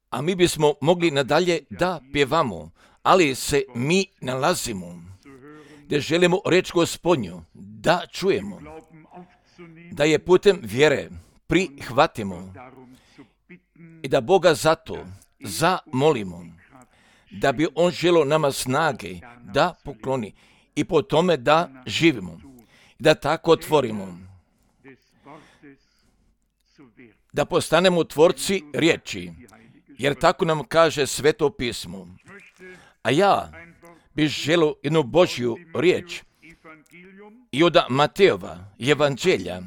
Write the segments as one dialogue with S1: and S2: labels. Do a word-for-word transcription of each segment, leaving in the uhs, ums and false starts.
S1: A mi bismo mogli nadalje da pjevamo, ali se mi nalazimo gdje želimo reč Gospodnju da čujemo, da je putem vjere prihvatimo i da Boga zato zamolimo, da bi On želio nama snage da pokloni i po tome da živimo, da tako otvorimo, da postanemo tvorci riječi, jer tako nam kaže Sveto pismo. A ja bih želio jednu Božju riječ i od Matejova evanđelja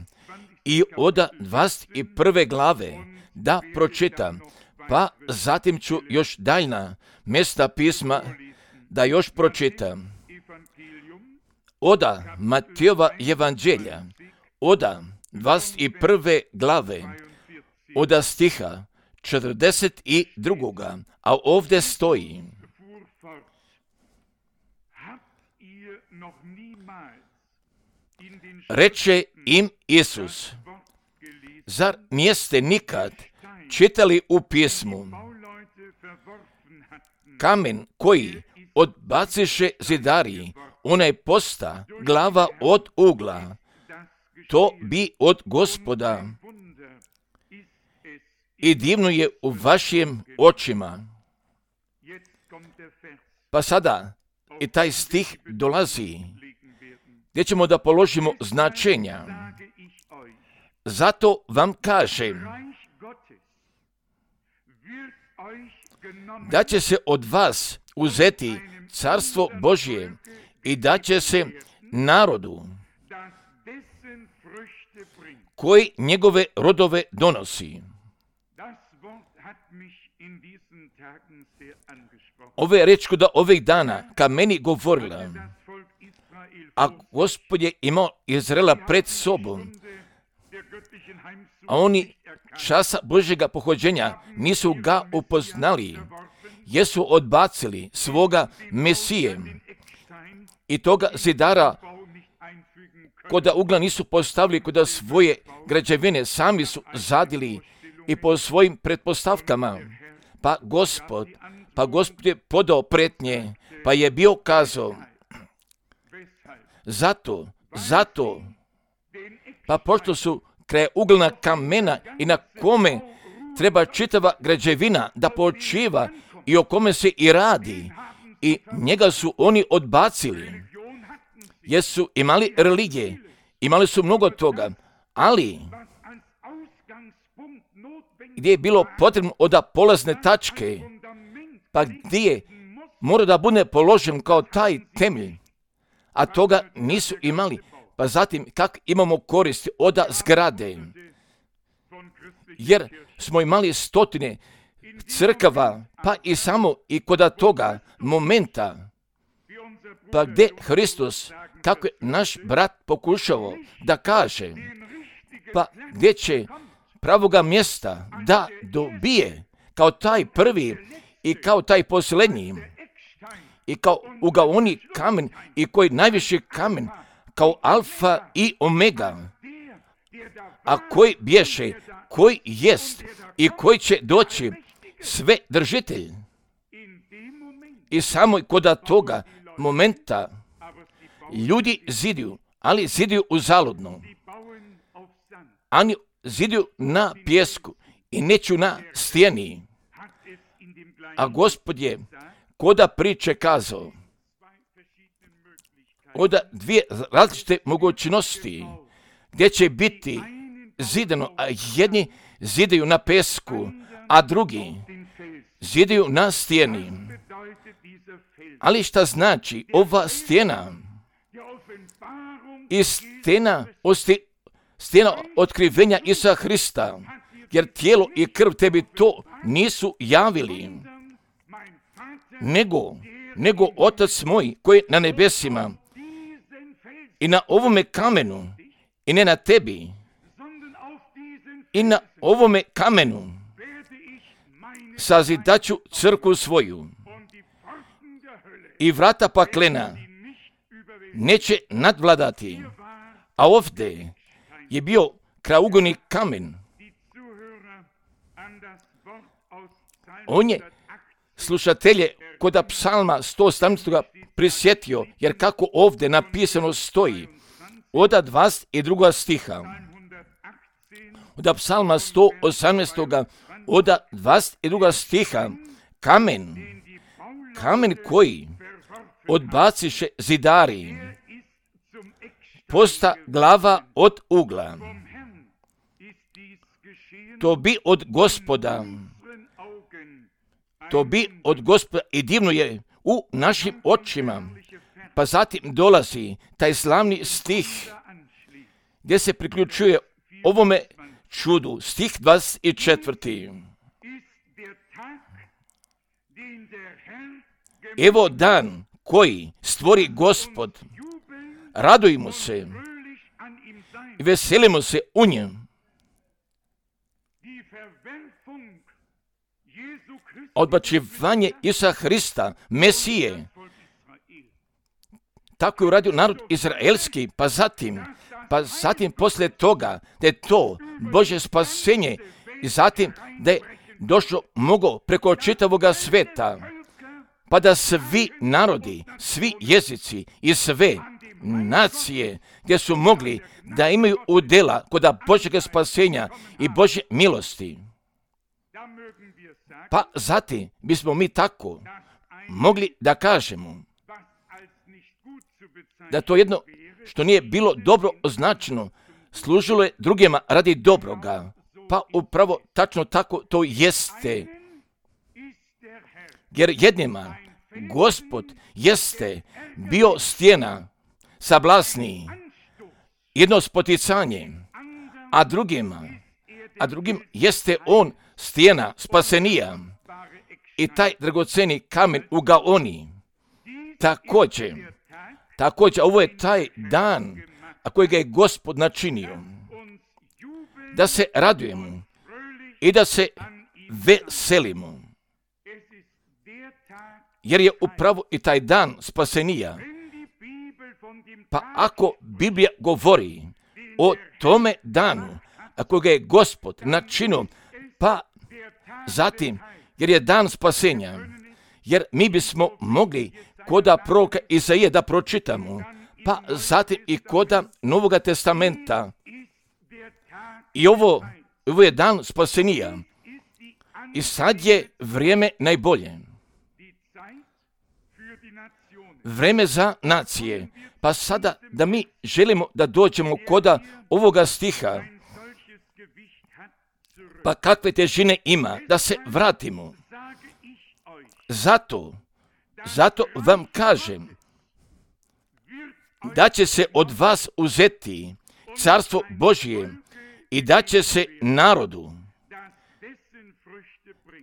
S1: i od dvadeset prve glave da pročitam, pa zatim ću još daljna mjesta pisma da još pročitam. Od Matejova evanđelja, od dvadeset prve glave, od stiha četrdeset dva. A ovdje stoji: reče im Isus, zar niste nikad čitali u pismu, kamen koji odbaciše zidari, onaj posta glava od ugla, to bi od Gospoda i divno je u vašim očima. Pa sada i taj stih dolazi gdje ćemo da položimo značenja. Zato vam kažem da će se od vas uzeti carstvo Božje i da će se narodu koji njegove rodove donosi. Ove je reč da ovih dana ka meni govorila, a Gospod je imao Izraela pred sobom, a oni časa Božjega pohođenja nisu ga upoznali, jesu odbacili svoga Mesije i toga zidara koda ugla nisu postavili koda svoje građevine, sami su zadili i po svojim pretpostavkama. Pa Gospod, pa Gospod je podao pretnje, pa je bio kazao, zato, zato, pa pošto su kraj uglna kamena i na kome treba čitava građevina da počiva i o kome se i radi, i njega su oni odbacili, jer su imali religije, imali su mnogo toga, ali gdje je bilo potrebno od polazne tačke, pa gdje je mora da bude položen kao taj temelj, a toga nisu imali. Pa zatim kak imamo koristi od zgrade, jer smo imali stotine crkava, pa i samo i kod toga momenta, pa gdje Hristos, kako je naš brat pokušao da kaže, pa gdje će pravoga mjesta da dobije kao taj prvi i kao taj posljednji i kao ugaoni kamen i koji najviši kamen, kao alfa i omega, a koji bješe, koji jest i koji će doći sve držitelj. I samo kod toga momenta ljudi ziduju, ali ziduju uzaludno. Oni ziduju na pjesku i neću na stijeni. A Gospod je koda priče kazao od dvije različite mogućnosti gdje će biti zidano, a jedni zidaju na pesku, a drugi zidaju na stijeni. Ali šta znači ova stijena? I stijena, stijena otkrivenja Isusa Hrista, jer tijelo i krv tebi to nisu javili, nego, nego Otac moj koji je na nebesima. I na ovome kamenu, i ne na tebi, i na ovome kamenu sazidaću crkvu svoju, i vrata paklena neće nadvladati. A ovdje je bio kraugoni kamen. On je slušatelje kod psalma sto osamnaest. prisjetio, jer kako ovdje napisano stoji, od dvadeset drugoga stiha, od psalma sto osamnaest. od dvadeset drugoga stiha, kamen, kamen koji odbaciše zidari, posta glava od ugla. To bi od Gospoda, to bi od Gospoda i divno je u našim očima. Pa zatim dolazi taj slavni stih gdje se priključuje ovome čudu, stih dvadeset četvrti. Evo dan koji stvori Gospod, radujmo se i veselimo se u njem. Odbacivanje Isusa Hrista, Mesije, tako je uradio narod izraelski, pa zatim, pa zatim poslije toga da je to Božje spasenje i zatim da je došlo mogo preko čitavoga sveta, pa da svi narodi, svi jezici i sve nacije gdje su mogli da imaju udjela kod Božjega spasenja i Božje milosti. Pa zatim bismo mi tako mogli da kažemo da to jedno što nije bilo dobro označeno služilo je drugima radi dobroga. Pa upravo tačno tako to jeste. Jer jednima Gospod jeste bio stijena sablasniji, jedno spoticanje, a drugima, a drugim jeste on stijena spasenija i taj dragoceni kamen u Gaoni. Također, također, ovo je taj dan, a kojega je Gospod načinio, da se radujemo i da se veselimo. Jer je upravo i taj dan spasenija. Pa ako Biblija govori o tome danu, a kojega je Gospod načinio, pa zatim, jer je dan spasenja, jer mi bismo mogli koda proroka Izaije da pročitamo, pa zatim i koda Novoga testamenta. I ovo, ovo je dan spasenija. I sad je vrijeme najbolje. Vreme za nacije. Pa sada da mi želimo da dođemo koda ovoga stiha, pa kakve težine ima, da se vratimo. Zato, zato vam kažem, da će se od vas uzeti carstvo Božje i da će se narodu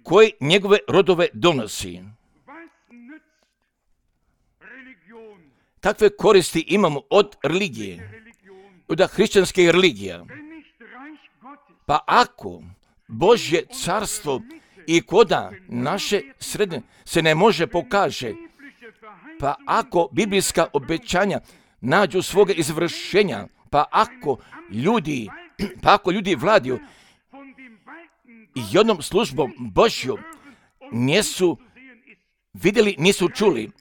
S1: koji njegove rodove donosi. Kakve koristi imamo od religije, od hrišćanske religije? Pa ako Božje carstvo i koda naše sredine se ne može pokaže, pa ako biblijska obećanja nađu svoga izvršenja, pa ako ljudi, pa ako ljudi vladaju i jednom službom Božjom nisu vidjeli, nisu čuli,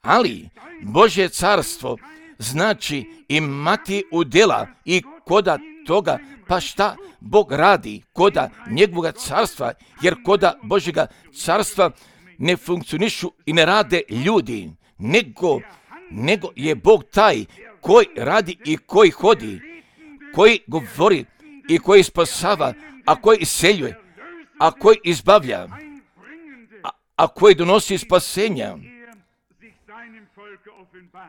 S1: ali Božje carstvo znači imati udjela i koda toga, pa šta Bog radi koda njegovog carstva, jer koda Božjega carstva ne funkcionišu i ne rade ljudi, nego, nego je Bog taj koji radi i koji hodi, koji govori i koji spasava, a koji iseljuje, a koji izbavlja, a, a koji donosi spasenja.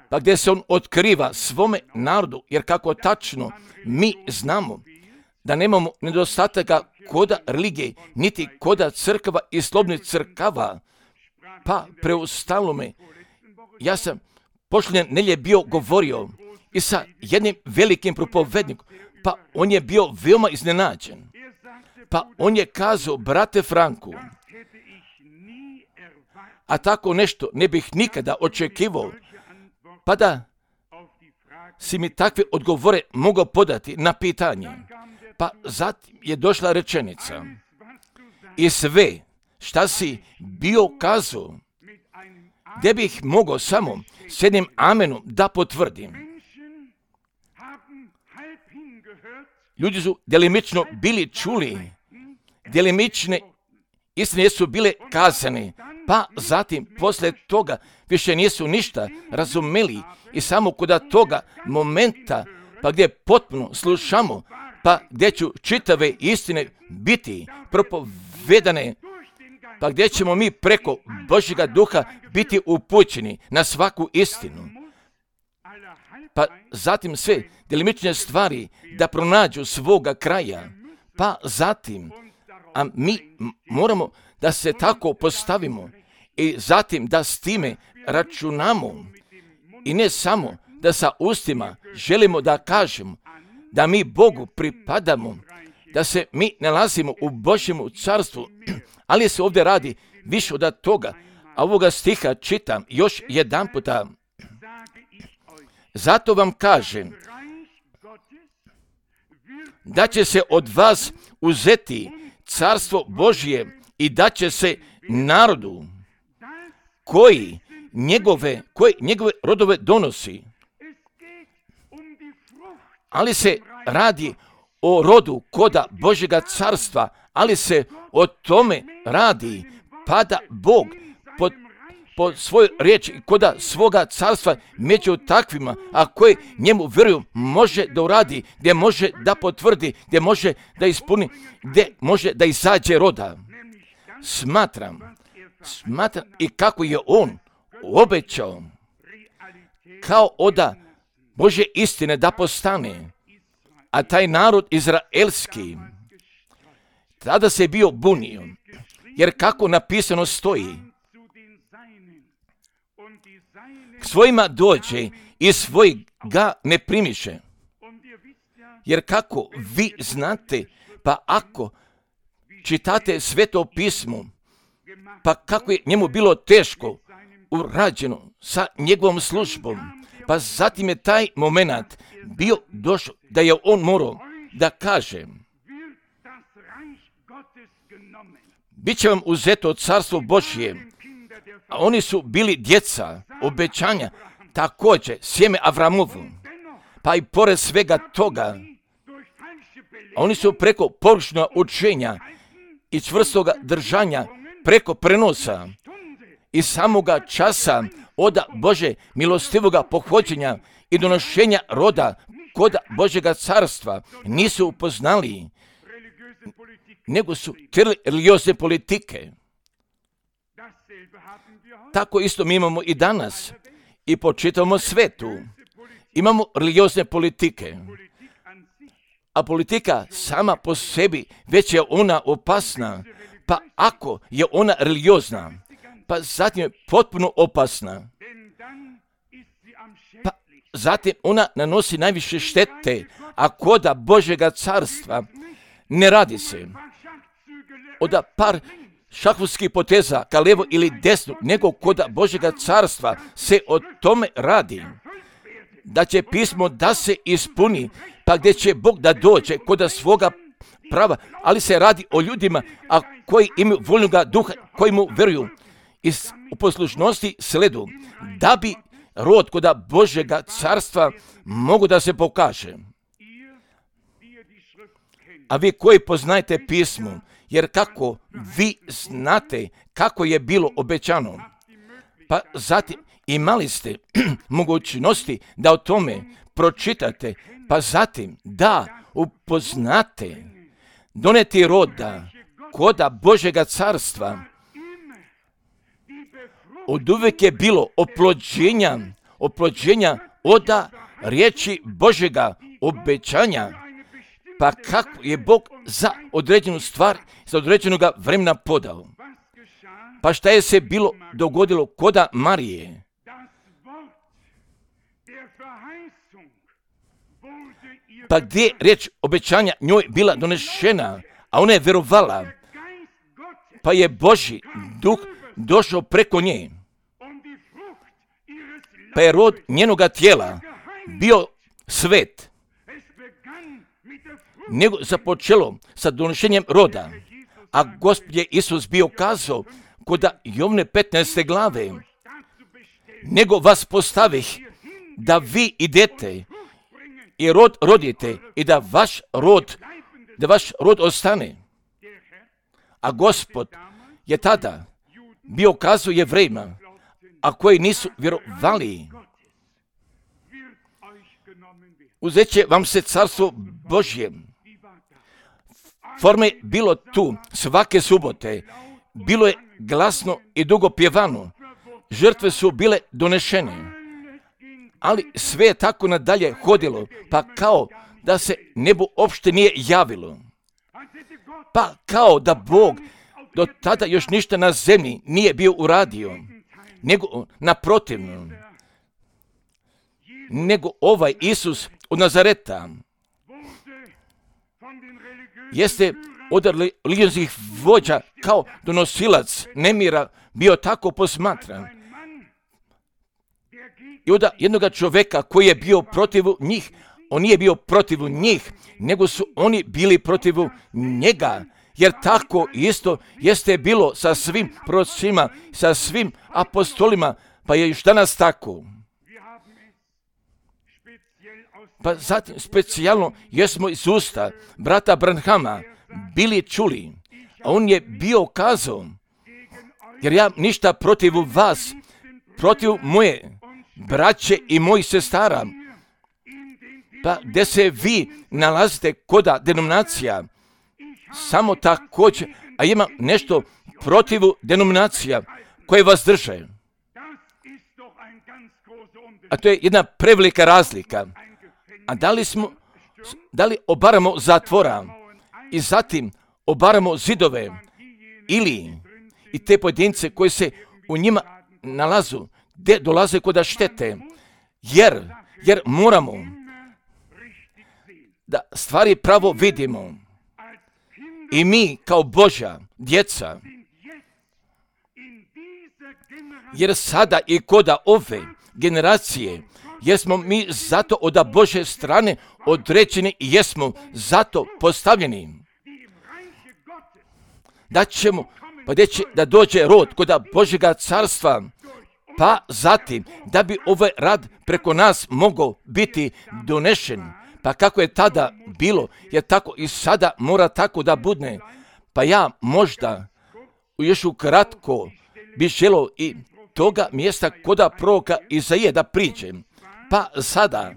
S1: Pa gdje se on otkriva svome narodu, jer kako tačno mi znamo da nemamo nedostataka koda religije, niti koda crkava i slobodnih crkava, pa preostalo me. Ja sam prošle nedjelje bio govorio i sa jednim velikim propovednikom, pa on je bio veoma iznenađen. Pa on je kazao, brate Franku, a tako nešto ne bih nikada očekivao, pa da si mi takve odgovore mogao podati na pitanje. Pa zatim je došla rečenica. i sve šta si bio kazao, gdje bih mogao samo s jednim amenom da potvrdim. Ljudi su delimično bili čuli, delimične istine su bile kazane, pa zatim poslije toga više nisu ništa razumeli i samo kod toga momenta, pa gdje potpuno slušamo, pa gdje ću čitave istine biti propovedane, pa gdje ćemo mi preko Božjega duha biti upućeni na svaku istinu. Pa zatim sve delimične stvari da pronađu svoga kraja, pa zatim, a mi moramo da se tako postavimo i zatim da s time računamo i ne samo da sa ustima želimo da kažemo da mi Bogu pripadamo, da se mi nalazimo u Božjemu carstvu, ali se ovdje radi više od toga. A ovoga stiha čitam još jedan puta. Zato vam kažem da će se od vas uzeti carstvo Božje i da će se narodu koji njegove, koji njegove rodove donosi. Ali se radi o rodu koda Božjega carstva, ali se o tome radi, pa da Bog pod, pod svoju riječ i koda svoga carstva među takvima, a koji njemu vjeruju, može da uradi, gdje može da potvrdi, gdje može da ispuni, gdje može da izađe roda. Smatram, smatram i kako je on obećao, kao oda Božje istine da postane, a taj narod izraelski tada se bio bunio, jer kako napisano stoji, k svojima dođe i svoj ga ne primiše. Jer kako vi znate, pa ako čitate Sveto pismo, pa kako je njemu bilo teško urađeno sa njegovom službom, pa zatim je taj moment bio došao da je on morao da kaže: bit će vam uzeto carstvo Božje, a oni su bili djeca obećanja, također sjeme Avramovu. Pa i pored svega toga, oni su preko površnog učenja i čvrstoga držanja, preko prenosa i samoga časa od Bože milostivoga pohođenja i donošenja roda kod Božjega carstva nisu upoznali, nego su htjeli religiozne politike. Tako isto mi imamo i danas i po čitavom svetu. Imamo religiozne politike, a politika sama po sebi već je ona opasna, pa ako je ona religiozna, pa zatim je potpuno opasna. Pa zatim ona nanosi najviše štete, a koda Božjega carstva ne radi se od par šahovskih poteza ka levo ili desno, nego koda Božjega carstva se o tome radi, da će pismo da se ispuni, pa gdje će Bog da dođe koda svoga prava, ali se radi o ljudima a koji imaju voljnoga duha, koji mu vjeruju i u poslušnosti sledu, da bi rod koda Božjega carstva mogu da se pokaže. A vi koji poznajete pismo, jer kako vi znate kako je bilo obećano, pa zatim imali ste mogućnosti da o tome pročitate, pa zatim da upoznate, doneti roda koda Božjega carstva. Od uvijek je bilo oplođenja, oplođenja oda riječi Božjega obećanja, pa kako je Bog za određenu stvar, za određenog vremena podao. Pa šta je se bilo dogodilo koda Marije? Pa gdje je riječ obećanja njoj bila donešena, a ona je vjerovala, pa je Božji duh došao preko nje, pa je rod njenoga tijela bio svet, nego započelo sa donošenjem roda, A Gospod je Isus bio kazao kod Jovne petnaeste glave, nego vas postavih da vi idete i rod rodite i da vaš rod, da vaš rod ostane. A Gospod je tada bio kazao Jevrejima, a koji nisu vjerovali, uzet će vam se carstvo Božje. Forme bilo tu svake subote, bilo je glasno i dugo pjevano, žrtve su bile donešene, ali sve je tako nadalje hodilo, pa kao da se nebo uopšte nije javilo, pa kao da Bog do tada još ništa na zemlji nije bio uradio, nego naprotivno, nego ovaj Isus od Nazareta jeste od religijskih vođa kao donosilac nemira bio tako posmatran. I od jednog čovjeka koji je bio protiv njih, on nije bio protiv njih, nego su oni bili protiv njega. Jer tako isto jeste bilo sa svim prorocima, sa svim apostolima, pa je još danas tako. Pa zatim specijalno jesmo iz usta brata Branhama bili čuli, a on je bio kazao, jer ja ništa protiv vas, protiv moje braće i mojih sestara, pa gdje se vi nalazite koda denominacija, samo također, a ima nešto protiv denominacija koje vas drže. A to je jedna prevelika razlika. A da li smo, da li obaramo zatvora i zatim obaramo zidove ili i te pojedince koji se u njima nalazu, gdje dolaze koda štete, jer, jer moramo da stvari pravo vidimo. I mi kao Božja djeca, jer sada i koda ove generacije, jesmo mi zato od Božje strane određeni i jesmo zato postavljeni. Da ćemo, pa gdje će da dođe rod koda Božjega carstva, pa zatim da bi ovaj rad preko nas mogao biti donešen. Pa kako je tada bilo, jer tako i sada mora tako da bude. Pa ja možda još ukratko bi želio i toga mjesta koda proroka Izaije da priđem. Pa sada,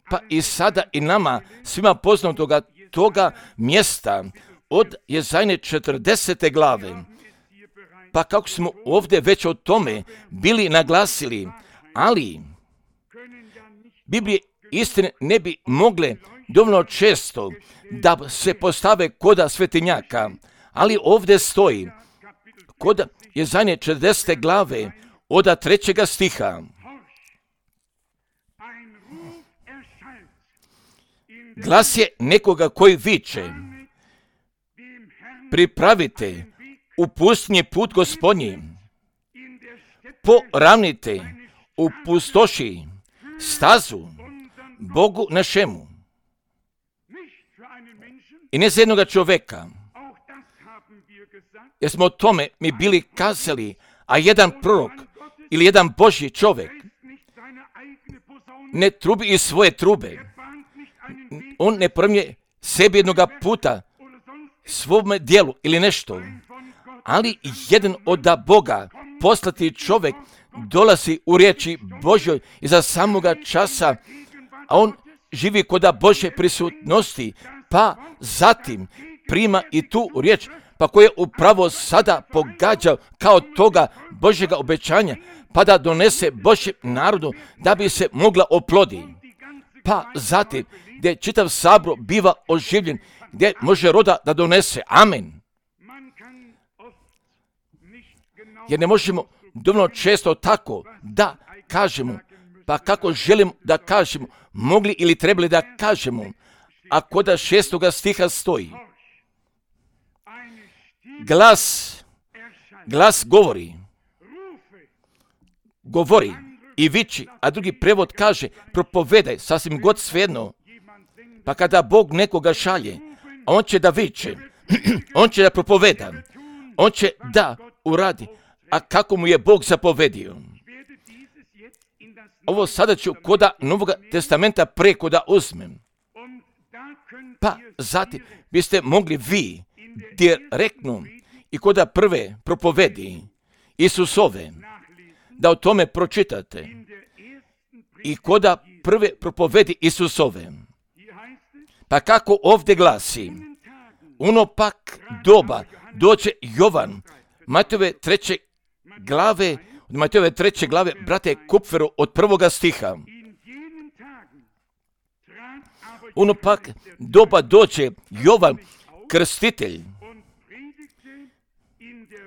S1: pa i sada i nama svima poznatoga toga mjesta od Jezajne četrdesete glave. Pa kako smo ovdje već o tome bili naglasili, ali Biblije istine ne bi mogle dovoljno često da se postave koda svetinjaka, ali ovdje stoji kod Jezajne četrdesete glave od trećega stiha. Glas je nekoga koji viče, pripravite u pustinji put Gospodnji, poravnite u pustoši stazu Bogu našemu. I ne za jednoga čovjeka, jer smo o tome mi bili kazali, a jedan prorok ili jedan Božji čovjek ne trubi iz svoje trube. On ne promije sebi jednoga puta svome dijelu ili nešto, ali jedan od Boga poslati čovjek dolazi u riječi Božjoj iza samoga časa, a on živi koda Božje prisutnosti, pa zatim prima i tu riječ, pa koje je upravo sada pogađao kao toga Božjega obećanja, pa da donese Božjem narodu da bi se mogla oplodi. Pa zatim gdje čitav sabor biva oživljen, gdje može roda da donese. Amen. Jer ne možemo dovoljno često tako da kažemo, pa kako želimo da kažemo, mogli ili trebali da kažemo, a koda šestoga stiha stoji. Glas, glas govori, govori i viči, a drugi prevod kaže propovedaj, sasvim god svejedno. Pa kada Bog nekoga šalje, on će da viče, On će da propoveda. On će da uradi. A kako mu je Bog zapovedio? Ovo sada ću koda Novog testamenta preko da uzmem. Pa zatim biste mogli vi direktno i koda prve propovedi Isusove da o tome pročitate. I koda prve propovedi Isusove. Pa kako ovdje glasi, ono pak doba doće Jovan, Matejove treće glave, od Matejove treće glave, brate Kupferu, od prvoga stiha. Ono pak doba doće Jovan, krstitelj,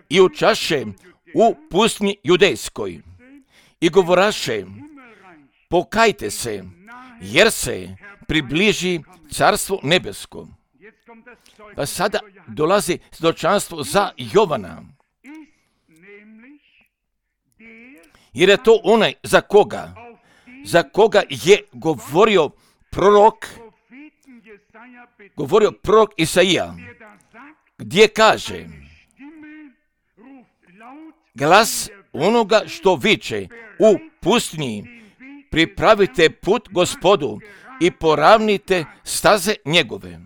S1: i učaše u pustinji judejskoj i govoraše, pokajte se, jer se približi carstvo nebesko. Pa sada dolazi svjedočanstvo za Jovana. Jer je to onaj za koga, za koga je govorio prorok, govorio prorok Isaija, gdje kaže, glas onoga što viče u pustinji, pripravite put Gospodu i poravnite staze njegove.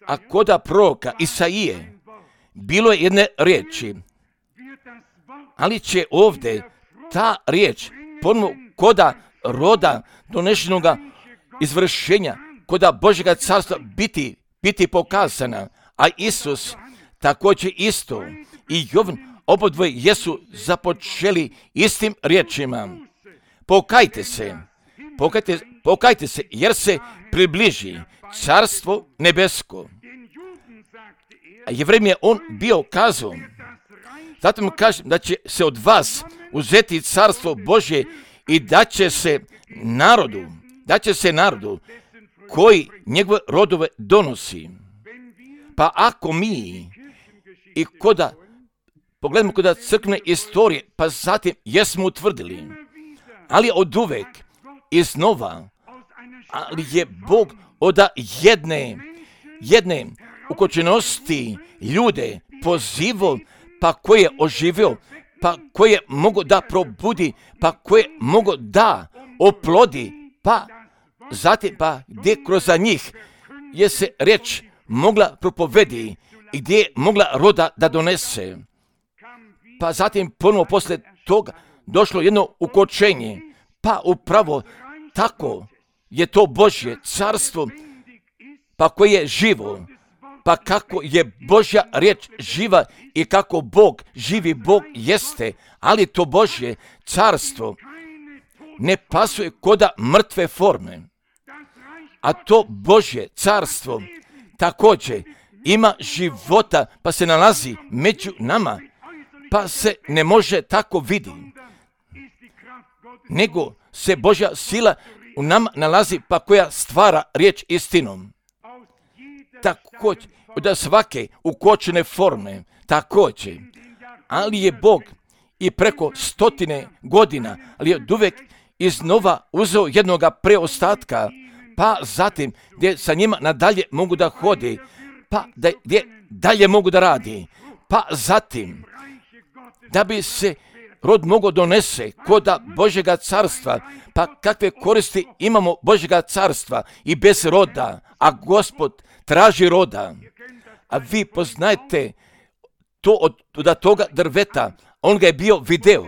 S1: A koda proroka Isaije bilo je jedne riječi, ali će ovdje ta riječ ponovno koda roda donešenoga izvršenja, koda Božjega carstva biti, biti pokazana, a Isus također isto i Jovan obodvoje jesu započeli istim riječima. Pokajte se, pokajte, pokajte se, jer se približi carstvo nebesko. A Jevrejima je on bio kazao, zato mu kažem da će se od vas uzeti carstvo Božje i da će se narodu, da će se narodu koji njegove rodove donosi. Pa ako mi i koda, pogledamo koda crkvene istorije, pa zatim jesmo utvrdili, ali od uvek iznova, ali je Bog od jedne, jedne ukočenosti ljude pozivao, pa koje je oživio, pa koje mogu da probudi, pa koje mogu da oplodi, pa zatim pa gdje kroz njih je se riječ mogla propovedi i gdje je mogla roda da donese. Pa zatim ponovo poslije toga došlo jedno ukočenje, pa upravo tako je to Božje carstvo, pa koje je živo, pa kako je Božja riječ živa i kako Bog, živi Bog jeste, ali to Božje carstvo ne pasuje koda mrtve forme. A to Božje carstvo također ima života, pa se nalazi među nama, pa se ne može tako vidi, nego se Božja sila u nama nalazi, pa koja stvara riječ istinom. Također, od svake ukočene forme, također, ali je Bog i preko stotine godina, ali je od uvek iznova uzeo jednoga preostatka, pa zatim gdje sa njima nadalje mogu da hodi, pa da, gdje dalje mogu da radi, pa zatim da bi se rod mogo donese koda Božjega carstva, pa kakve koristi imamo Božjega carstva i bez roda, a Gospod traži roda. A vi poznajete to od, od toga drveta, on ga je bio video,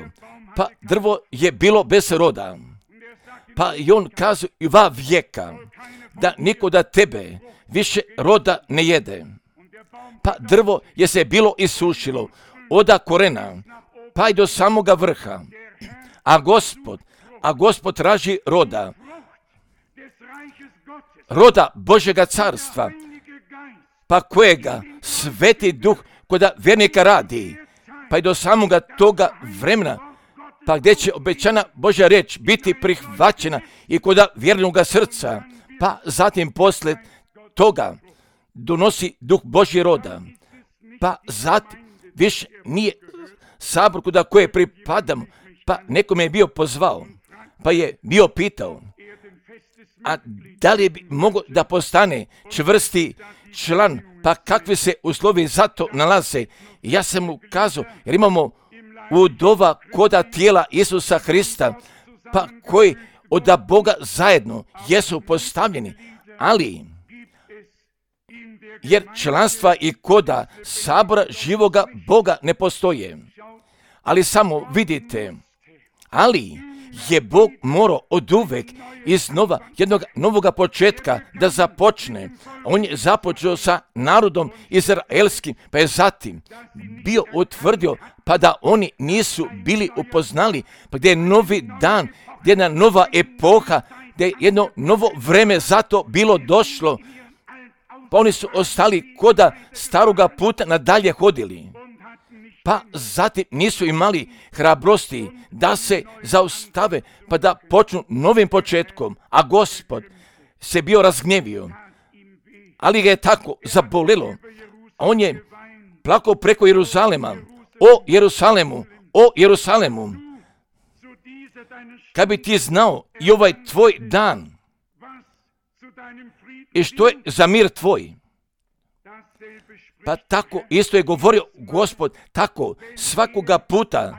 S1: pa drvo je bilo bez roda. Pa i on kazuje i va vijeka, da niko da tebe više roda ne jede. Pa drvo je se bilo isušilo, oda korena, pa i do samoga vrha. A Gospod, a Gospod traži roda, roda Božjega carstva, pa kojega Sveti Duh koda vjernika radi, pa i do samoga toga vremena, pa gdje će obećana Božja riječ biti prihvaćena i koda vjernoga srca, pa zatim poslije toga donosi Duh Božji roda, pa zatim više nije sabor kuda koje pripadamo, pa nekome je bio pozvao, pa je bio pitao, A da li bi mogao da postane čvrsti član, pa kakvi se uslovi za to nalaze? Ja sam mu kazao, jer imamo udova koda tijela Isusa Hrista, pa koji od Boga zajedno jesu postavljeni, ali jer članstva i koda sabora živoga Boga ne postoje. Ali samo vidite, ali je Bog morao od uvek iz nova, jednog novoga početka da započne. On je započeo sa narodom izraelskim, pa je zatim bio utvrdio, pa da oni nisu bili upoznali, pa gdje je novi dan, gdje je jedna nova epoha, gdje je jedno novo vreme zato bilo došlo, pa oni su ostali koda staroga puta nadalje hodili. Pa zatim nisu imali hrabrosti da se zaustave, pa da počnu novim početkom, a Gospod se bio razgnjevio. Ali ga je tako zabolelo. On je plakao preko Jeruzalema. O Jerusalemu, o Jerusalemu, kad bi ti znao i ovaj tvoj dan i što je za mir tvoj. Pa tako isto je govorio Gospod, tako svakoga puta,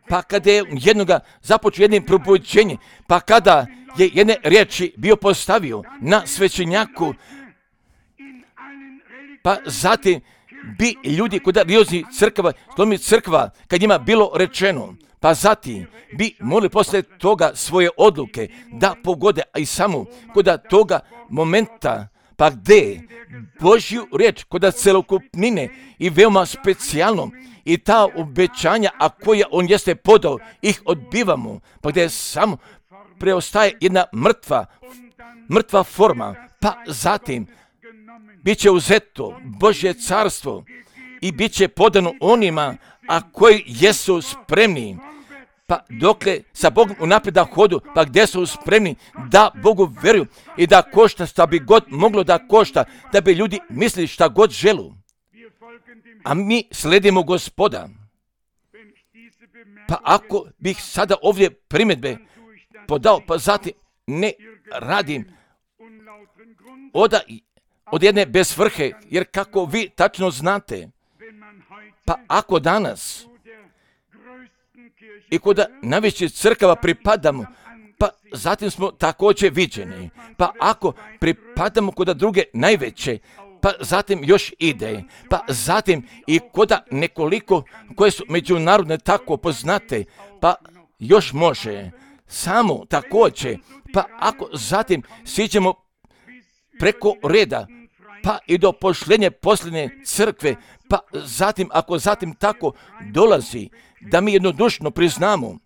S1: pa kada je jednoga započeo jednim probuđenjem, pa kada je jedne riječi bio postavio na svećenjaku, pa zatim bi ljudi kod religijskih crkava, slomi crkva, kad njima bilo rečeno, pa zatim bi morali posle toga svoje odluke da pogode, a i samo kod toga momenta, pa gde Božju riječ kod celokupnine i veoma specijalno i ta obećanja, a koja on jeste podao, ih odbivamo, pa gde samo preostaje jedna mrtva, mrtva forma, pa zatim bit će uzeto Božje carstvo i bit će podano onima, a koji jesu spremni, pa dokle sa Bogom unaprijed da hodu, pa gdje su spremni da Bogu veruju i da košta šta bi god moglo da košta, da bi ljudi mislili šta god želu. A mi sledimo Gospoda. Pa ako bih sada ovdje primjedbe podao, pa zatim ne radim od, od jedne bez svrhe, jer kako vi tačno znate, pa ako danas i kod najvećih crkava pripadamo, pa zatim smo također viđeni. Pa ako pripadamo kod druge najveće, pa zatim još ide. Pa zatim i kod nekoliko koje su međunarodne tako poznate, pa još može. Samo također, pa ako zatim siđemo preko reda, pa i do pošljenje posljednje crkve, pa zatim ako zatim tako dolazi, da mi jednodušno priznamo,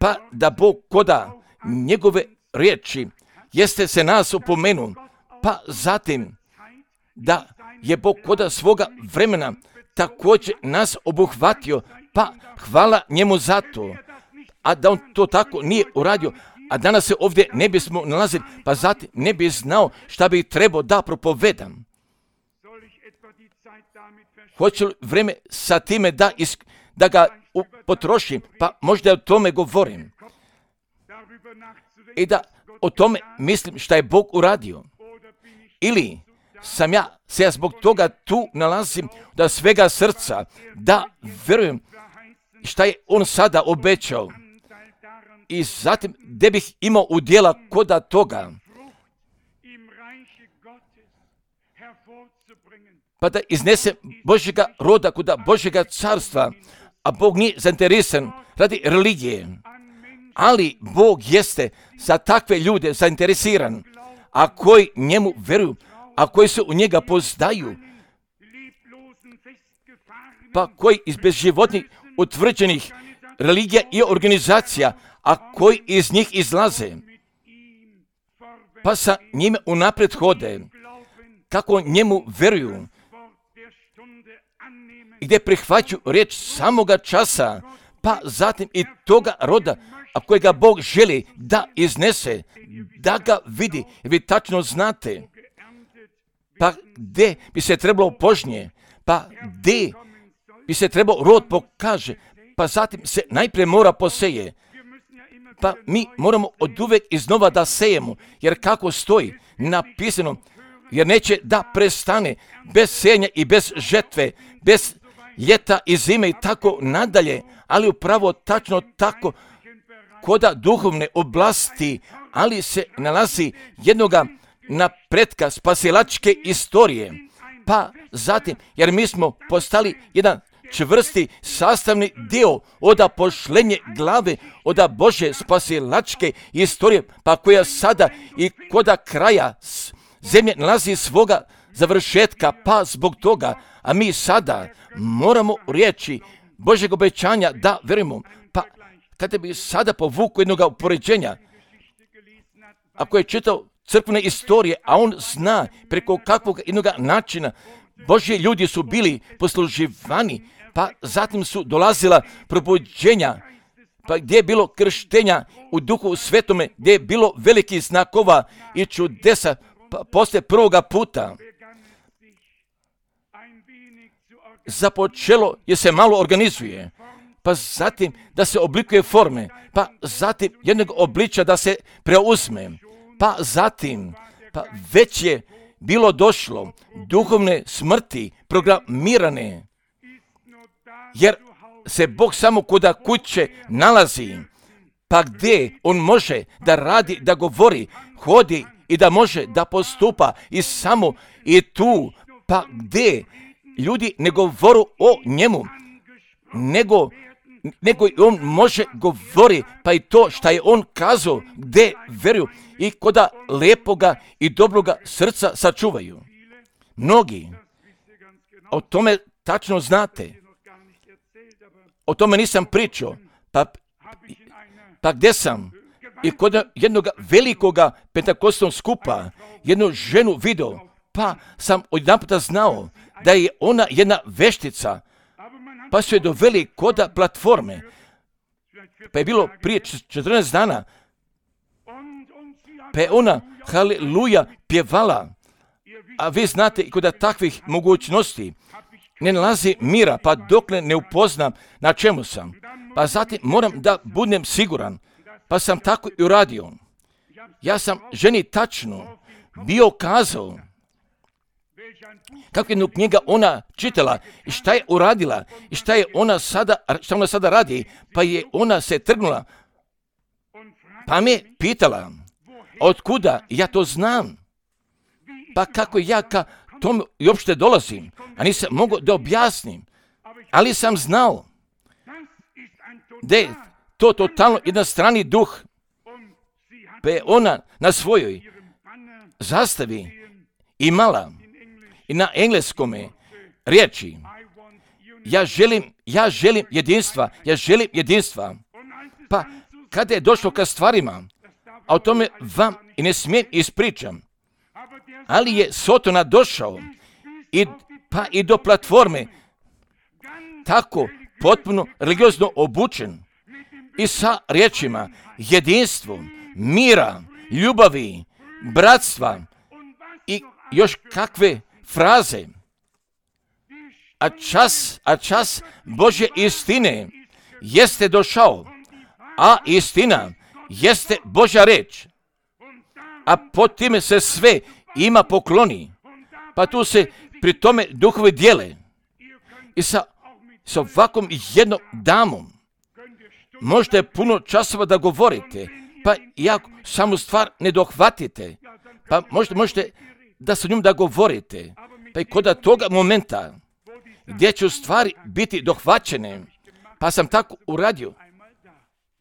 S1: pa da Bog koda njegove riječi jeste se nas upomenu, pa zatim da je Bog koda svoga vremena također nas obuhvatio, pa hvala njemu za to, a da on to tako nije uradio, a danas se ovdje ne bismo nalazili, pa zatim ne bi znao šta bi trebao da propovedam. Hoću li vreme sa time da, is, da ga u, potrošim, pa možda o tome govorim. I da o tome mislim šta je Bog uradio. Ili sam ja se ja zbog toga tu nalazim da svega srca, da verujem šta je on sada obećao. I zatim gdje bih imao udjela koda toga, pa da iznese Božjega roda kuda Božjega carstva, a Bog nije zainteresan radi religije, ali Bog jeste za takve ljude zainteresiran, a koji njemu veruju, a koji se u njega pozdaju, pa koji iz bezživotnih utvrđenih religija i organizacija, a koji iz njih izlaze, pa sa njime unaprijed hode, kako njemu veruju, gdje prihvaću riječ samoga časa, pa zatim i toga roda, a kojega Bog želi da iznese, da ga vidi, jer vi tačno znate, pa gdje bi se trebalo požnje, pa gdje bi se trebao rod pokaže, pa zatim se najprije mora poseje. Pa mi moramo od uvek iznova da sejemo, jer kako stoji napisano, jer neće da prestane bez sejanja i bez žetve, bez ljeta i zime i tako nadalje, ali upravo tačno tako koda duhovne oblasti, ali se nalazi jednoga napretka spasilačke istorije. Pa zatim, jer mi smo postali jedan čvrsti sastavni dio oda pošlenje glave, oda Bože spasilačke istorije, pa koja sada i koda kraja zemlje nalazi svoga završetka, pa zbog toga, a mi sada moramo riječi Božeg obećanja da verujemo. Pa kada bi sada povukao jednog upoređenja, ako je čitao crkvene istorije, a on zna preko kakvog jednog načina Božji ljudi su bili posluživani, pa zatim su dolazila probuđenja, pa gdje je bilo krštenja u Duhu Svetome, gdje je bilo velikih znakova i čudesa, pa poslije prvoga puta započelo je se malo organizuje, pa zatim da se oblikuje forme, pa zatim jednog obliča da se preuzme, pa zatim pa već je bilo došlo duhovne smrti programirane, jer se Bog samo kuda kuće nalazi, pa gdje on može da radi, da govori, hodi i da može da postupa i samo i tu, pa gdje ljudi ne govoru o njemu, nego, nego i on može govori, pa i to što je on kazao, gdje veruju i koda lepoga i dobroga srca sačuvaju. Mnogi o tome tačno znate. O tome nisam pričao, pa, pa gdje sam? I kod jednog velikoga pentakostnog skupa jednu ženu video, pa sam odjedanputa znao da je ona jedna veštica, pa su je doveli koda platforme, pa je bilo prije četrnaest dana, pa je ona haleluja pjevala, a vi znate i kod takvih mogućnosti ne nalazi mira, pa dokle ne upoznam na čemu sam, pa zatim moram da budem siguran, pa sam tako i uradio. Ja sam ženi tačno bio kazao kako jednu knjiga ona čitala i šta je uradila i šta je ona sada, šta ona sada radi, pa je ona se trgnula, pa me pitala od kuda ja to znam, pa kako ja ka tome i uopšte dolazim, a nisam mogao da objasnim, ali sam znao da je to totalno jedan strani duh, pa je ona na svojoj zastavi imala i na engleskome riječi ja želim, ja želim jedinstva, ja želim jedinstva. Pa kada je došlo ka stvarima, a o tome vam i ne smijem ispričam, ali je Sotona došao i, pa i do platforme tako potpuno religiozno obučen i sa riječima jedinstvom, mira, ljubavi, bratstva i još kakve fraze. A čas, a čas Božje istine jeste došao, a istina jeste Božja reč. A pod time se sve ima pokloni, pa tu se pri tome duhovi dijele. I sa, sa ovakvom jednom damom možete puno časova da govorite, pa iako samu stvar ne dohvatite, pa možete, možete da sa njom da govorite, pa i kod toga momenta gdje će u stvari biti dohvaćene, pa sam tako uradio,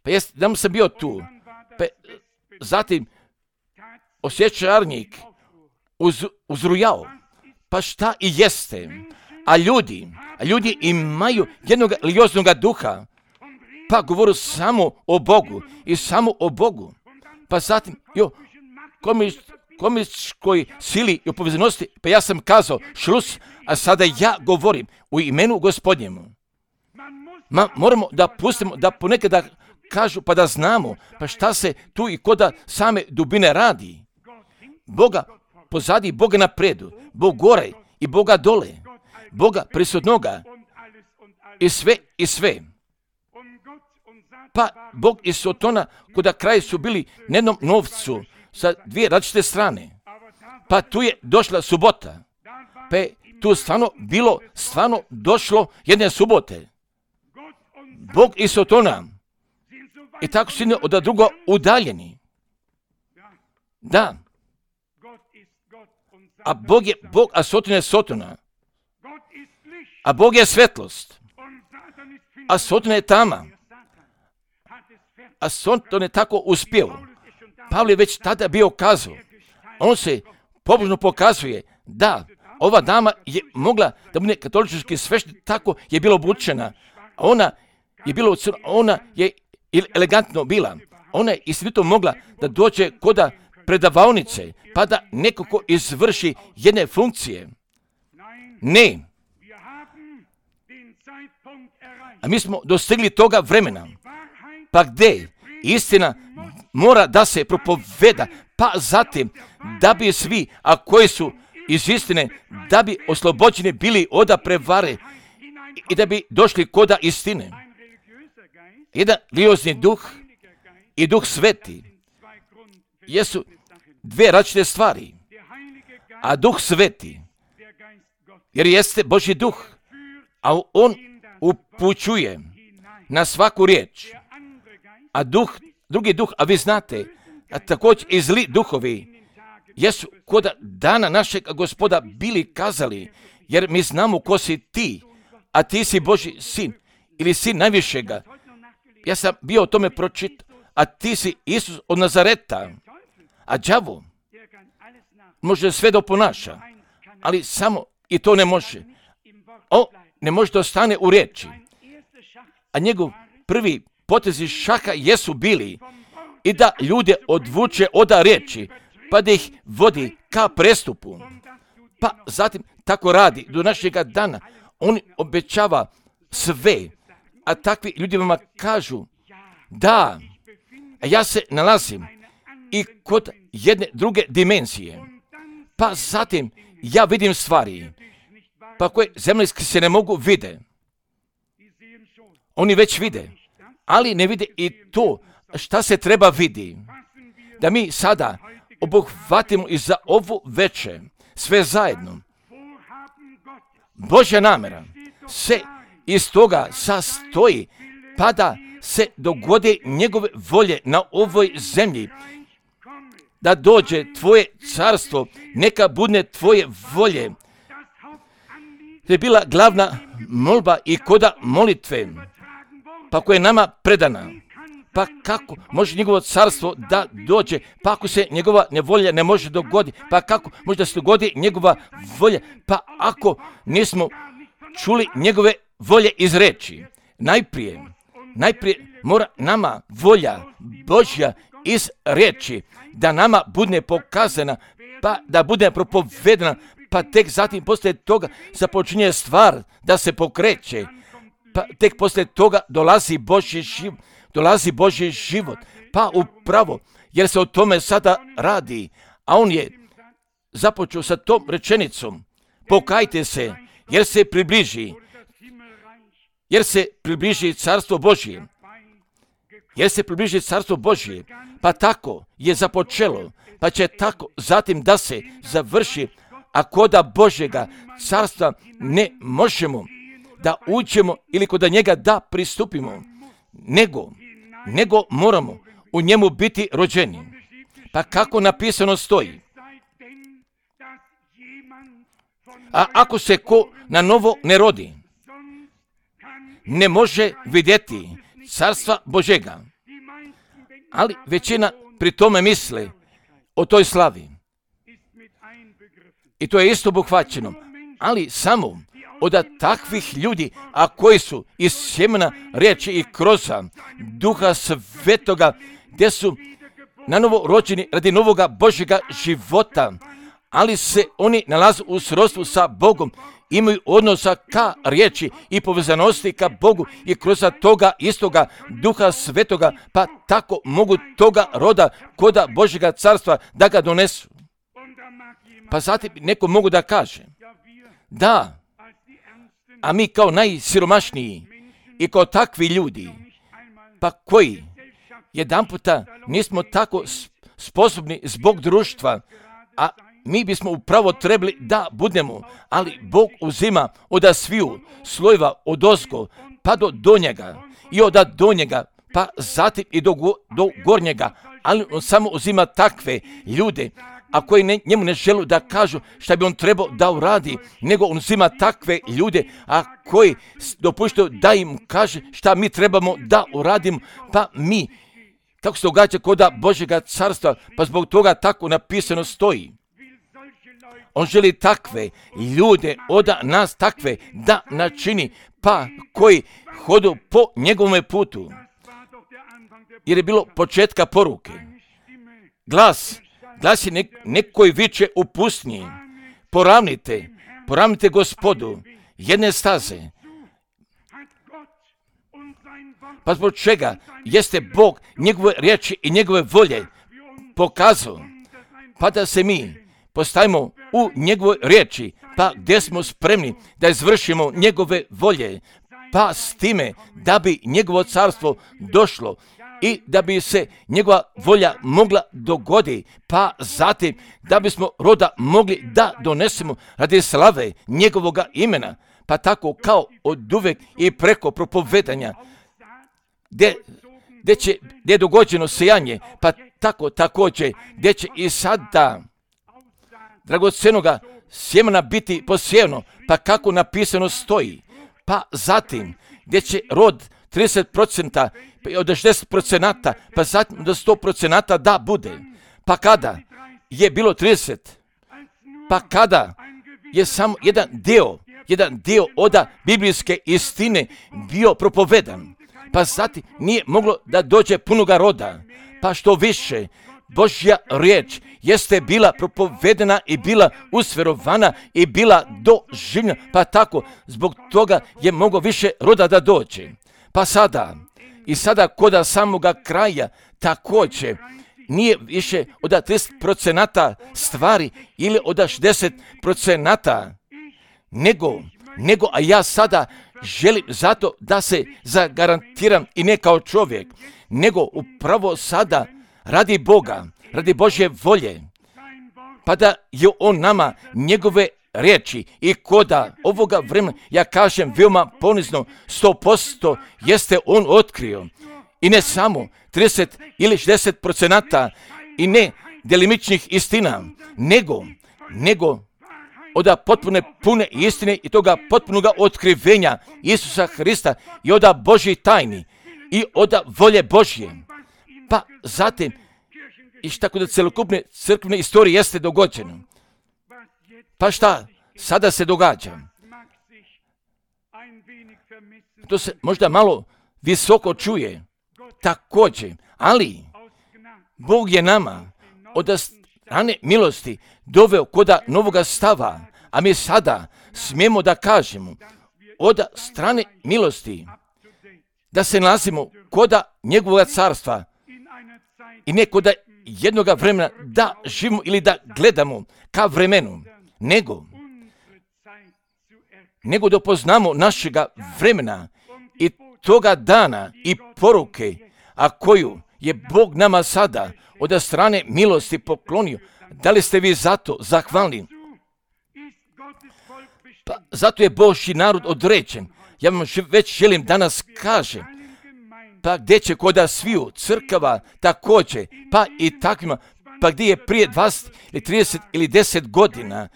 S1: pa jest, da sam bio tu, pa zatim osjećarnik uz, uzrujao, pa šta i jeste, a ljudi, a ljudi imaju jednog religioznog duha, pa govoru samo o Bogu i samo o Bogu, pa zatim, jo, komunističkoj sili i povezanosti, pa ja sam kazao šlus, a sada ja govorim u imenu Gospodnjemu. Ma moramo da pustimo, da ponekad da kažu, pa da znamo, pa šta se tu i koda same dubine radi. Boga pozadi, Boga napredu, Bog gore i Boga dole, Boga prisutnoga i sve i sve. Pa Bog i Sotona kuda kraj su bili na jednom novcu sa dvije različite strane. Pa tu je došla subota. Pa je tu stvarno bilo, stvarno došlo jedne subote. Bog i Sotona. I tako su jedni od druga udaljeni. Da. A Bog je Bog, a Sotona je Sotona. A Bog je svetlost. A Sotona je tama. A Soton je tako uspio. Pavle je već tada bio kazao. On se pobožno pokazuje da ova dama je mogla da bude katolički sveštenik, tako je bila obučena. Ona je bila, ona je elegantno bila. Ona je istinito mogla da dođe koda predavaonice, pa da nekako izvrši jedne funkcije. Ne. A mi smo dostigli toga vremena. Pa gdje istina mora da se propoveda, pa zatim da bi svi, a koji su iz istine, da bi oslobođeni bili od prevare i da bi došli koda istine. Jedan religiozni duh i duh sveti jesu dve različite stvari. A duh sveti, jer jeste Božji duh, a on upućuje na svaku riječ. A duh, drugi duh, a vi znate, a također i zli duhovi, jesu koda dana našeg Gospoda bili kazali, jer mi znamo ko si ti, a ti si Božji sin, ili sin najvišega. Ja sam bio o tome pročitao, a ti si Isus od Nazareta. A đavo može sve da oponaša, ali samo i to ne može. On ne može da ostane u riječi. A njegov prvi potezi šaha jesu bili i da ljude odvuče od riječi, pa da ih vodi ka prestupu. Pa zatim tako radi do našega dana. On obećava sve, a takvi ljudi vama kažu da, ja se nalazim i kod jedne druge dimenzije. Pa zatim ja vidim stvari, pa koje zemaljski se ne mogu vide. Oni već vide, ali ne vide i to šta se treba vidi. Da mi sada obuhvatimo i za ovu veče sve zajedno. Božja namera se iz toga sastoji, pa da se dogode njegove volje na ovoj zemlji. Da dođe tvoje carstvo, neka bude tvoje volje. To je bila glavna molba i koda molitve, pa koja je nama predana. Pa kako može njegovo carstvo da dođe, pa ako se njegova nevolja ne može dogoditi, pa kako može da se dogodi njegova volja, pa ako nismo čuli njegove volje iz reči. Najprije, najprije mora nama volja Božja iz reči, da nama bude pokazana, pa da bude propovedana, pa tek zatim poslije toga započinje stvar da se pokreće, pa tek poslije toga dolazi Božji život, dolazi Božji život, pa upravo, jer se o tome sada radi, a on je započeo sa tom rečenicom, pokajte se, jer se približi, jer se približi carstvo Božje, jer se približi carstvo Božje, pa tako je započelo, pa će tako zatim da se završi, a koda Božjega carstva ne možemo da uđemo ili koda njega da pristupimo, nego, nego moramo u njemu biti rođeni. Pa kako napisano stoji, a ako se ko na novo ne rodi, ne može vidjeti carstva Božjega. Ali većina pri tome misle o toj slavi. I to je isto obuhvaćeno. Ali samo od takvih ljudi, a koji su iz sjemena riječi i kroza Duha Svetoga, gdje su na novo rođeni radi novoga Božjega života, ali se oni nalaze u srodstvu sa Bogom, imaju odnosa ka riječi i povezanosti ka Bogu i kroz toga istoga Duha Svetoga, pa tako mogu toga roda koda Božjega carstva da ga donesu. Pa zatim neko mogu da kaže, da, a mi kao najsiromašniji i kao takvi ljudi, pa pa koji jedan puta nismo tako sposobni zbog društva, a mi bismo upravo trebali da budemo, ali Bog uzima od sviju slojeva od ozgo pa do donjega i od donjega pa zatim i do, go, do gornjega, ali on samo uzima takve ljude, a koji ne, njemu ne žele da kažu šta bi on trebao da uradi, nego on uzima takve ljude, a koji dopuštaju da im kaže šta mi trebamo da uradimo, pa mi, kako se događa kod Božjega carstva, pa zbog toga tako napisano stoji. On želi takve ljude od nas, takve da načini, pa koji hodu po njegovom putu. Jer je bilo početka poruke. Glas, glas je nek, nekoj viče u pustinji. Poravnite, poravnite Gospodu jedne staze. Pa zbog čega jeste Bog njegove riječi i njegove volje pokazao, pa da se mi postavimo u njegove riječi, pa gdje smo spremni da izvršimo njegove volje, pa s time da bi njegovo carstvo došlo i da bi se njegova volja mogla dogoditi, pa zatim da bismo roda mogli da donesemo radi slave njegovoga imena, pa tako kao od uvek i preko propovedanja, gdje, gdje, će, gdje je dogođeno sejanje, pa tako također gdje će i sada dragocenoga sjemena biti posijeno, pa kako napisano stoji, pa zatim gdje će rod trideset procenta od šezdeset procenta, pa zatim do sto procenta da bude. Pa kada je bilo trideset, pa kada je samo jedan dio, jedan dio od biblijske istine bio propovedan, pa zatim nije moglo da dođe punoga roda, pa što više Božja riječ jeste bila propovedena i bila usverovana i bila doživljena, pa tako zbog toga je moglo više roda da dođe. Pa sada, i sada koda samoga kraja također nije više od trideset procenta stvari ili od šezdeset procenta, nego, nego, a ja sada želim zato da se zagarantiram i ne kao čovjek, nego upravo sada radi Boga, radi Božje volje, pa da je on nama njegove riječi i koda ovoga vremena, ja kažem veoma ponizno, sto posto jeste on otkrio. I ne samo trideset ili šezdeset procenta i ne delimičnih istina, nego, nego od potpune pune istine i toga potpunoga otkrivenja Isusa Hrista i od Božjih tajni i od volje Božje. Pa zatim, i šta kod celokupne crkvene istorije jeste dogođeno. Pa šta sada se događa? To se možda malo visoko čuje, također, ali Bog je nama od strane milosti doveo koda novoga stava, a mi sada smijemo da kažemo od strane milosti da se nalazimo koda njegovog carstva i ne koda jednoga vremena da živimo ili da gledamo ka vremenu, nego, nego da poznamo našega vremena i toga dana i poruke, a koju je Bog nama sada od strane milosti poklonio. Da li ste vi zato zahvalni? Pa zato je Božji narod određen. Ja vam već želim danas kažem, pa gdje će koda sviju crkava također, pa i takvima, pa gdje je prije dvadeset ili trideset ili deset godina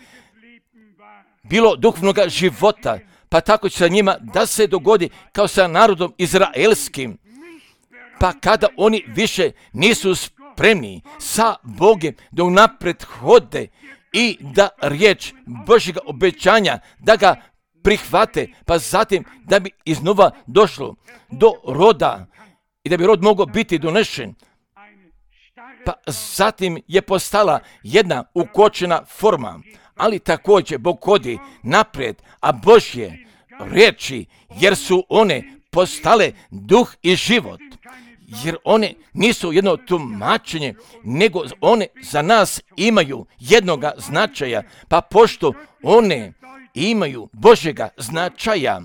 S1: bilo duhovnog života, pa tako će sa njima da se dogodi kao sa narodom izraelskim, pa kada oni više nisu spremni sa Bogom da unapred hode i da riječ Božjega obećanja, da ga prihvate, pa zatim da bi iznova došlo do roda i da bi rod mogao biti donešen, pa zatim je postala jedna ukočena forma, ali također Bog hodi naprijed, a Božje riječi, jer su one postale duh i život, jer one nisu jedno tumačenje, nego one za nas imaju jednoga značaja, pa pošto one imaju Božjega značaja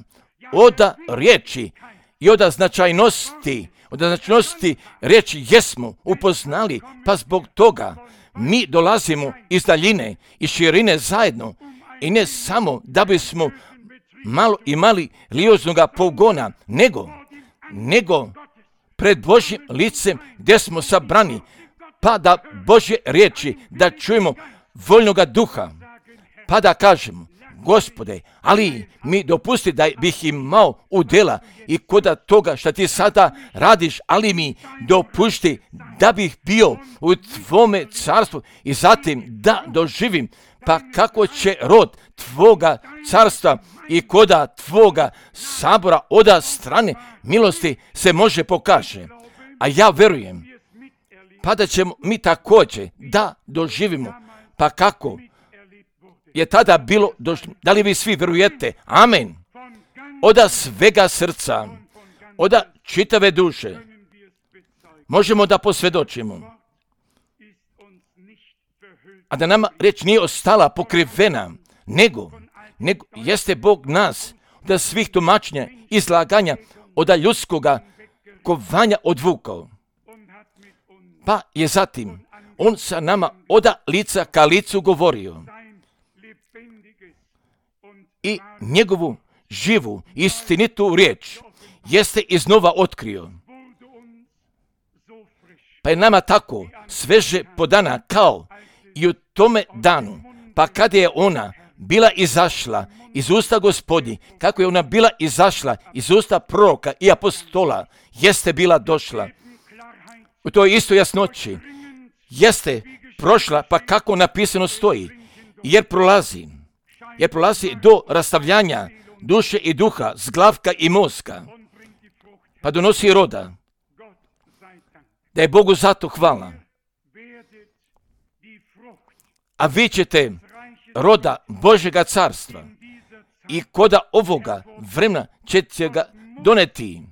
S1: od riječi i od značajnosti, od značnosti riječi jesmo upoznali, pa zbog toga mi dolazimo iz daljine i širine zajedno i ne samo da bismo malo imali religioznog pogona, nego, nego pred Božjim licem gdje smo sabrani, pa da Božje riječi da čujemo voljnoga duha, pa da kažemo, Gospode, ali mi dopusti da bih imao udjela i kod toga što ti sada radiš, ali mi dopusti da bih bio u tvome carstvu i zatim da doživim pa kako će rod tvoga carstva i koda tvoga sabora oda strane milosti se može pokaže. A ja verujem, pa da ćemo mi također da doživimo, pa kako je tada bilo, da li vi svi verujete? Amen. Oda svega srca, oda čitave duše, možemo da posvjedočimo. A da nama riječ nije ostala pokrivena, nego, nego jeste Bog nas, da svih tumačenja, izlaganja, oda ljudskoga kovanja odvukao. Pa je zatim on sa nama oda lica ka licu govorio i njegovu živu, istinitu riječ jeste iznova otkrio. Pa je nama tako sveže podana kao i u tome danu, pa kada je ona bila izašla iz usta Gospodnji, kako je ona bila izašla iz usta proroka i apostola, jeste bila došla. U toj istoj jasnoći jeste prošla, pa kako napisano stoji, jer prolazi, jer prolazi do rastavljanja duše i duha, zglavka i mozga, pa donosi roda. Da je Bogu zato hvala. A vi ćete roda Božjega carstva i koda ovoga vremena ćete ga doneti.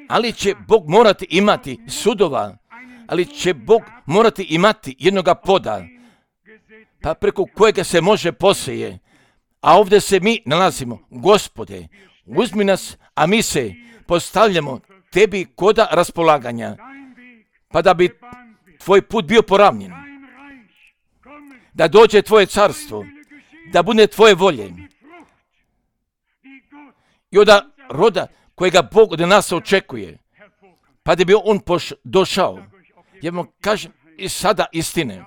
S1: Ali će Bog morati imati sudova, ali će Bog morati imati jednoga poda, pa preko kojega se može poseje. A ovdje se mi nalazimo. Gospode, uzmi nas, a mi se postavljamo tebi koda raspolaganja, pa da bi tvoj put bio poravnjen. Da dođe tvoje carstvo, da bude tvoje volje. I od roda kojega Bog od nas očekuje, pa da bi on poš- došao. Ja vam kažem i sada istine.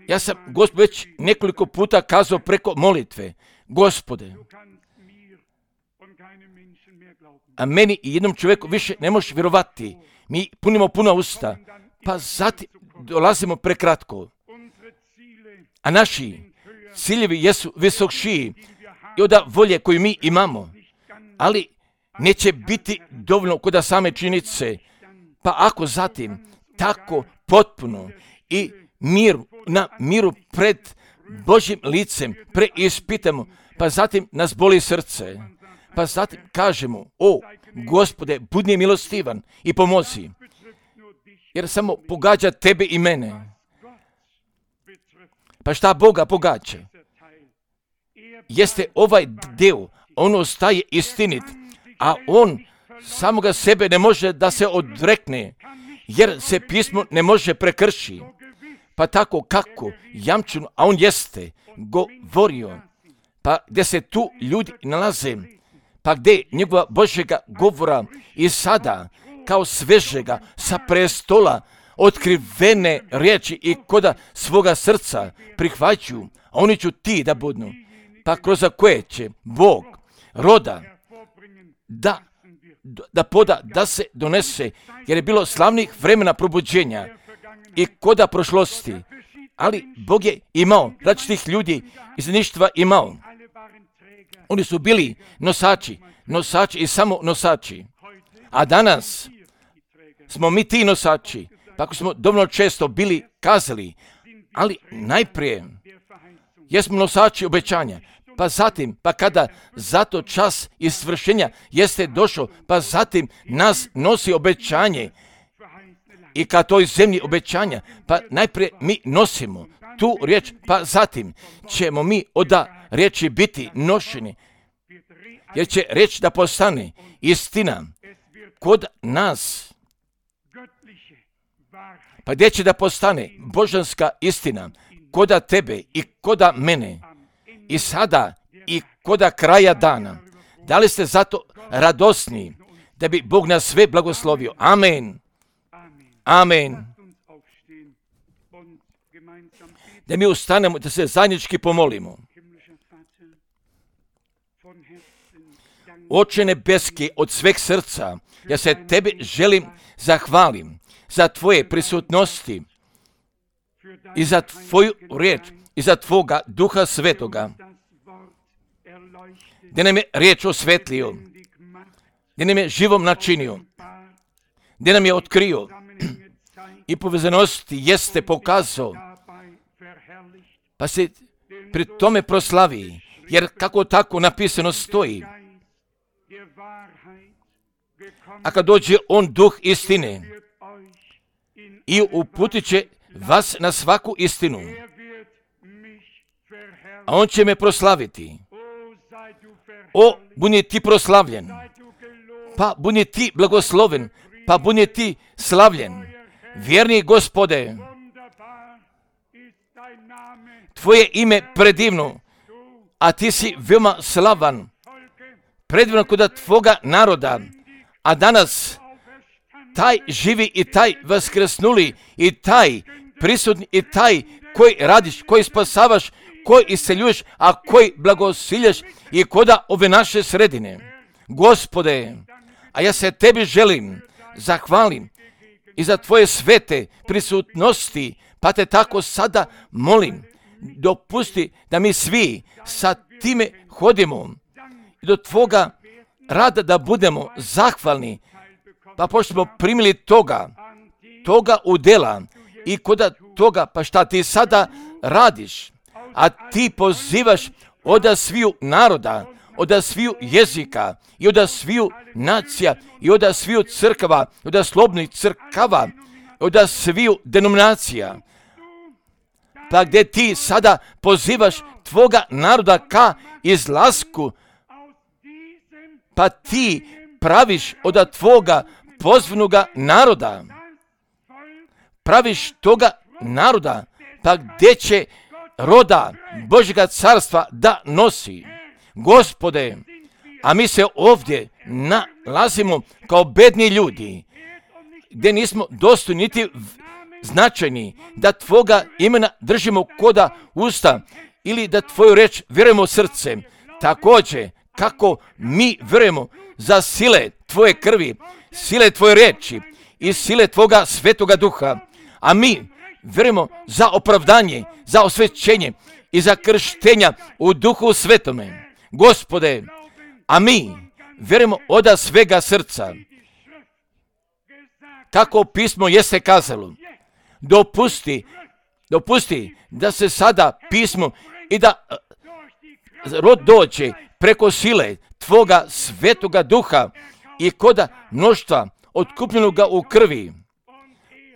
S1: Ja sam Gospod već nekoliko puta kazao preko molitve, Gospode, a meni i jednom čovjeku više ne možeš vjerovati. Mi punimo puna usta, pa zatim dolazimo prekratko. A naši ciljevi jesu visokšiji i od volje koju mi imamo, ali neće biti dovoljno kod same činjenice. Pa ako zatim tako potpuno i miru, na miru pred Božjim licem preispitamo, pa zatim nas boli srce, pa zatim kažemo, o Gospode, budi milostivan i pomozi, jer samo pogađa tebe i mene. Pa šta Boga pogađa? Jeste ovaj dio, on ostaje istinit, a on samoga sebe ne može da se odrekne, jer se pismo ne može prekrši. Pa tako kako jamčeno, a on jeste govorio, pa gdje se tu ljudi nalaze, pa gdje njegova Božjega govora i sada kao svežega sa prestola otkrivene riječi i koda svoga srca prihvaćaju, a oni ću ti da budnu, pa kroz koje će Bog roda da, da poda, da se donese, jer je bilo slavnih vremena probuđenja i koda prošlosti, ali Bog je imao različitih ljudi iz ništva imao. Oni su bili nosači, nosači i samo nosači. A danas smo mi ti nosači, pa ako smo dovoljno često bili kazali, ali najprije jesmo nosači obećanja, pa zatim, pa kada zato čas isvršenja jeste došao, pa zatim nas nosi obećanje i ka toj zemlji obećanja, pa najprije mi nosimo tu riječ, pa zatim ćemo mi oda riječi biti nošeni, jer će riječ da postane istina kod nas, pa gdje će da postane božanska istina koda tebe i koda mene i sada i koda kraja dana. Da li ste zato radosni da bi Bog nas sve blagoslovio? Amen. Amen. Da mi ustanemo, da se zajednički pomolimo. Oče nebeski, od sveg srca, ja se tebi želim zahvalim za tvoje prisutnosti i za tvoju riječ i za tvoga Duha Svetoga, gdje nam je riječ osvetlio, gdje nam je živom načinio, gdje nam je otkrio i povezanosti jeste pokazao, pa se pri tome proslavi, jer kako tako napisano stoji. A kad dođe on Duh istine i uputit će vas na svaku istinu, a on će me proslaviti. O, budi ti proslavljen, pa budi ti blagosloven, pa budi ti slavljen. Vjerni Gospode, tvoje ime predivno, a ti si veoma slavan, predivno kod tvoga naroda, a danas taj živi i taj vaskrsnuli i taj prisutni i taj koji radiš, koji spasavaš, koji isceljuješ, a koji blagosiljaš i koda ove naše sredine. Gospode, a ja se tebi želim, zahvalim i za tvoje svete prisutnosti, pa te tako sada molim, dopusti da mi svi sa time hodimo i do tvoga rada da budemo zahvalni, pa pošto smo primili toga, toga udjela i koda toga, pa šta ti sada radiš, a ti pozivaš od sviju naroda, od sviju jezika i od sviju nacija i od sviju crkava, od slobodnih crkava, od sviju denominacija, pa gdje ti sada pozivaš tvoga naroda ka izlasku, pa ti praviš od tvoga pozvanoga naroda, praviš toga naroda, pa gdje će roda Božjega carstva da nosi. Gospode, a mi se ovdje nalazimo kao bedni ljudi, gdje nismo dostojni niti značajni da tvoga imena držimo koda usta ili da tvoju reč vjerujemo srcem. Također, kako mi vjerujemo za sile tvoje krvi, sile tvoje reči i sile tvoga Svetoga Duha, a mi vjerujemo za opravdanje, za osvećenje i za krštenja u Duhu Svetome. Gospode, a mi vjerujemo od svega srca, kako pismo jeste kazalo, dopusti, dopusti da se sada pismo i da rod dođe preko sile tvoga Svetoga Duha i koda mnoštva otkupljenoga u krvi,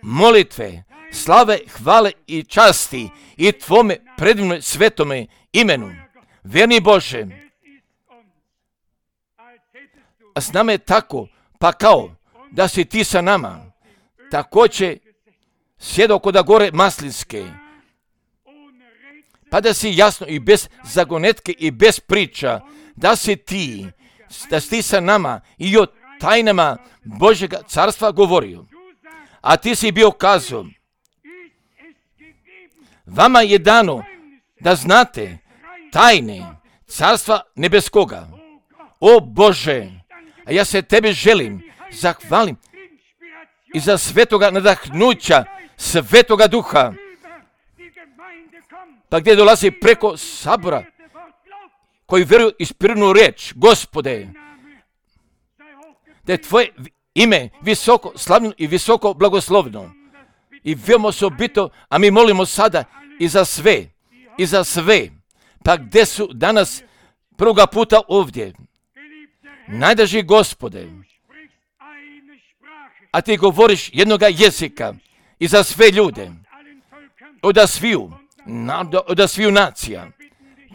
S1: molitve, slave, hvale i časti i tvome predivnom svetome imenu. Vjerni Bože, a s nama je tako, pa kao da si ti sa nama, također sjedao koda gore Maslinske, pa da si jasno i bez zagonetke i bez priča, da si ti, da si ti sa nama i o tajnama Božjega carstva govorio. A ti si bio kazao, vama je dano da znate tajne carstva nebeskoga. O Bože, a ja se tebi želim, zahvalim i za svetoga nadahnuća Svetoga Duha, pa gdje dolazi preko sabora koji vjeruju ispirnu riječ. Gospode, da je tvoje ime visoko slavno i visoko blagoslovno i veoma osobito, a mi molimo sada i za sve, i za sve, pa gdje su danas prvoga puta ovdje. Najdraži Gospode, a ti govoriš jednoga jezika i za sve ljude, od sviju, od sviju nacija,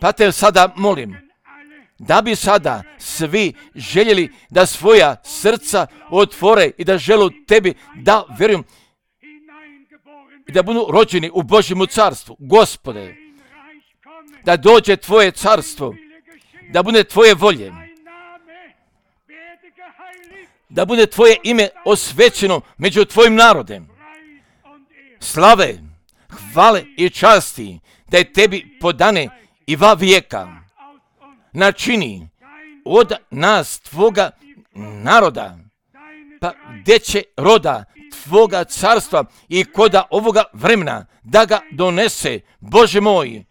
S1: pa te sada molim da bi sada svi željeli da svoja srca otvore i da žele tebi da vjerujem i da budu rođeni u Božjemu carstvu. Gospode, da dođe tvoje carstvo, da bude tvoje volje, da bude tvoje ime osvećeno među tvojim narodem. Slave, hvale i časti da je tebi podane i va vijeka. Načini od nas tvoga naroda, pa gdje će roda tvoga carstva i koda ovoga vremena da ga donese, Bože moj.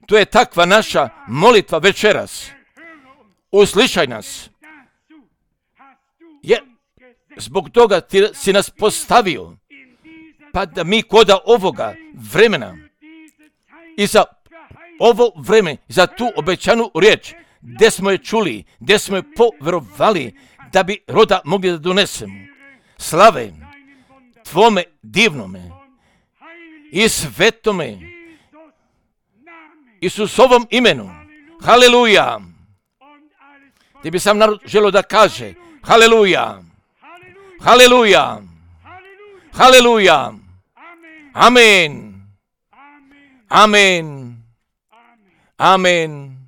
S1: To je takva naša molitva večeras. Uslišaj nas. Jer zbog toga ti si nas postavio, pa da mi koda ovoga vremena i za ovo vreme, za tu obećanu riječ, gdje smo je čuli, gdje smo je povjerovali, da bi roda mogli da donesemo. Slave tvome divnome i svetome Isusovom imenu. Haleluja. Ti bi sam narod želio da kaže haleluja. Haleluja. Haleluja. Amen. Amen. Amen.